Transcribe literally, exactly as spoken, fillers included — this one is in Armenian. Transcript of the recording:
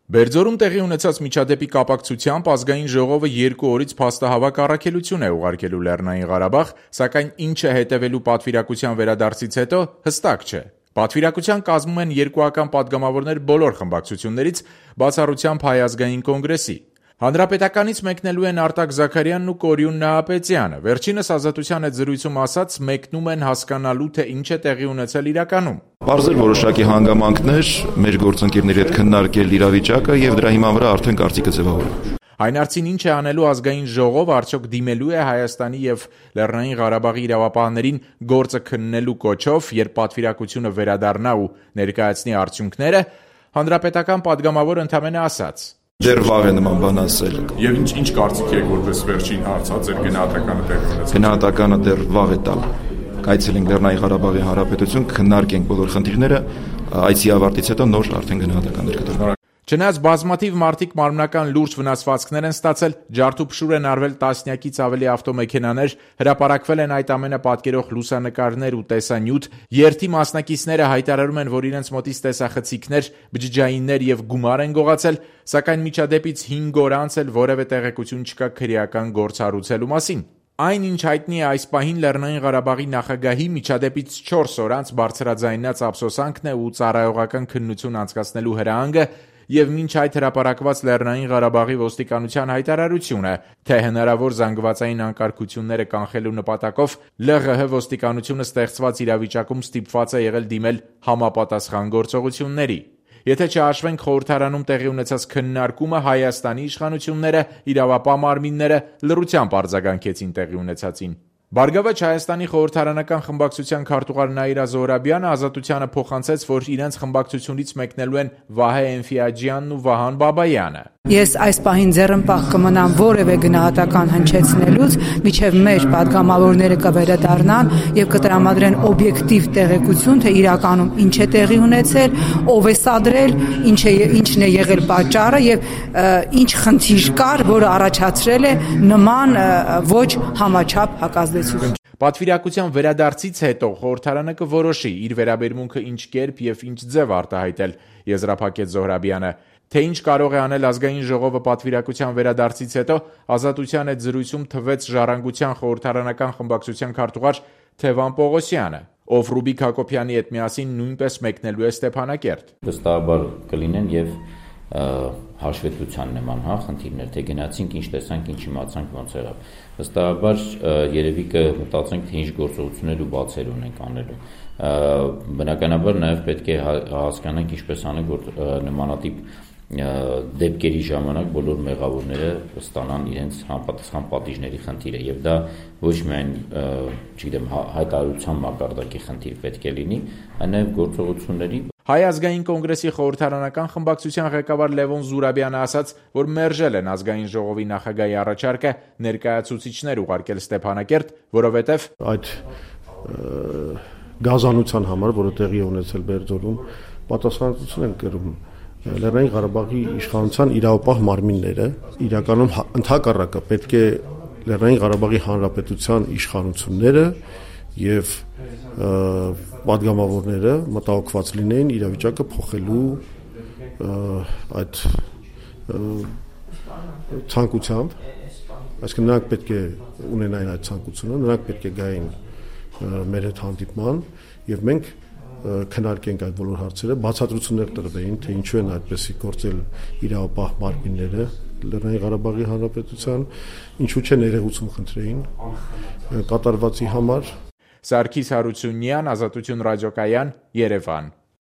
Բերձորում տեղի ունեցած միջադեպի կապակցությամբ ազգային ժողովը երկու օրից փաստահավաք առաքելություն է ուղարկելու Լեռնային Ղարաբաղ, սակայն ինչը հետևելու պատվիրակության վերադարձից հետո հստակ չէ։ Պատվիրակության կազմում են երկուական պատգամավորներ բոլոր խմբակցություններից, բացառությամբ Հայ ազգային կոնգրեսի։ Հանրապետականից մեկնելու են Արտակ Զաքարյանն ու Կորյուն Նահապետյանը։ Վերջինս Ազատության հետ զրույցում ասաց, մեկնում են հասկանալու, թե ինչ է տեղի ունեցել իրականում։ Բարձր որոշակի հանգամանքներ մեր գործընկերների հետ քննարկել իրավիճակը եւ դրա հիման վրա արդեն կարծիքը ձևավորել։ Այն արդին ինչ է անելու ազգային ժողով, արդյոք դիմելու է Հայաստանի եւ Լեռնային Ղարաբաղի իրավապահներին գործը քննելու կոչով, երբ պատվիրակությունը վերադառնա ու ներկայացնի արդյունքները, հանրապետական պատգամավորը ընդամենը ասաց. Դեռ վաղ է նման բան ասել։ Եվ ինչ ինչ կարծիք եք, որպես վերջին հարց, հա, ձեր գնահատականը տեղի ունեցել։ Գնահատականը դեռ վաղ է տալ։ Կայցելենք Լեռնային Ղարաբաղի Հանրապետություն, քննարկենք բոլոր խնդիրները, այցի ավարտից հետո նոր արդեն գնահատականներ կտրվեն։ Չնայած բազմաթիվ մարդիկ մարմնական լուրջ վնասվածքներ են ստացել, ջարդուփշուր են արվել տասնյակից ավելի ավտոմեքենաներ, հրապարակվել են այդ ամենը պատկերող լուսանկարներ ու տեսանյութ, երթի մասնակիցները հայտարարում են, որ իրենց մոտից տեսախցիկներ, բջջայիններ եւ գումար են գողացել, սակայն միջադեպից հինգ օր անց էլ որևէ տեղեկություն չկա քրեական գործ հարուցելու մասին։ Այն, ինչ հայտնի է այս պահին Լեռնային Ղարաբաղի նախագահի միջադեպից չորս օր անց բարձրաձայնած ափսոսանքն է ու ծառայողական քննություն անցկացնելու հրահանգը եւ մինչ այդ հրապարակված Լեռնային Ղարաբաղի ոստիկանության հայտարարությունը, թե հնարավոր զանգվածային անկարգությունները կանխելու նպատակով ԼՂՀ ոստիկանությունը ստեղծված իրավիճակում ստիպված է եղել դիմել համապատասխան գործողությունների։ Եթե չհաշվենք խորհրդարանում տեղի ունեցած քննարկումը, Հայաստանի իշխանությունները, իրավապահ մարմինները լռությամբ արձագանքեցին տեղի ունեցածին։ Բարգավաճ Հայաստանի խորհրդարանական խմբակցության քարտուղար Նաիրա Զոհրաբյանը Ազատությանը փոխանցեց, որ իրենց խմբակցությունից մեկնելու են Վահե Էնֆիաջյանն ու Վահան Բաբայանը։ Ես այս պահին ձեռնպահ կմնամ որևէ գնահատական հնչեցնելուց, միջև մեր պատգամավորները կվերադառնան եւ կտրամադրեն օբյեկտիվ տեղեկություն, թե իրականում ինչ է տեղի ունեցել, ով է սադրել, ինչ է ինչն է եղել պատճառը եւ ինչ խնդիր կար, որը առաջացրել է նման ոչ համաչափ հակազդեցություն։ Պատվիրակության վերադարձից հետո խորհրդարանը կորոշի իր վերաբերմունքը ինչ կերպ եւ ինչ ձև արտահայտել, եզրափակեց Զոհրաբյանը։ Թե ինչ կարող է անել ազգային ժողովը պատվիրակության վերադարձից հետո, Ազատության հետ զրույցում թվեց Ժառանգության խորհրդարանական խմբակցության քարտուղար Թևան Պողոսյանը, ով Ռուբիկ Հակոբյանի հետ միասին նույնպես մեկնելու է Ստեփանակերտ։ Վստահաբար կլինեն եւ հաշվետվության նման, հա, խնդիրներ, թե գնացինք, ինչ տեսանք, ինչ իմացանք, ոնց եղավ։ Վստահաբար երևի կմտածենք, թե ինչ գործողություններ ու բացեր ունենք անելու։ Բնականաբար նաև պետք է հասկանանք ինչպես անենք, որ նմանատիպ դեպքերի ժամանակ բոլոր մեղավորները ստանան իրենց համապատասխան պատիժների խնդիրը եւ դա ոչ միայն, չգիտեմ, հայտարարության մակարդակի խնդիր պետք է լինի, այլ նաեւ գործողությունների։ Հայ ազգային կոնգրեսի խորհրդարանական խմբակցության ղեկավար Լևոն Զուրաբյանը ասաց, որ մերժել են ազգային ժողովի նախագահի առաջարկը ներկայացուցիչներ ուղարկել Ստեփանակերտ, որովհետեւ այդ գազանության համար, որը տեղի է ունեցել Բերձորում, պատասխանատվություն են կրում Լեռնային Ղարաբաղի իշխանության իրավապահ մարմինները, իրականում ընդհակառակը պետք է Լեռնային Ղարաբաղի Հանրապետության իշխանությունները եւ պատգամավորները մտահոգված լինեին իրավիճակը փոխելու այդ ցանկությամբ, այսինքն նրանք պետք է ունենային այդ ցանկությունը, նրանք պետք է գային մեր հետ հանդիպման եւ մենք քննարկենք այդ բոլոր հարցերը, բացատրություններ տրվեին, թե ինչու են այդպեսի գործել իրավապահ մարմինները Լեռնային Ղարաբաղի Հանրապետության, ինչու չէ ներողություն խնդրեին կատարվածի համար։ Սարգիս Հարությունյան, Ազատություն ռադիոկայան, Երևան։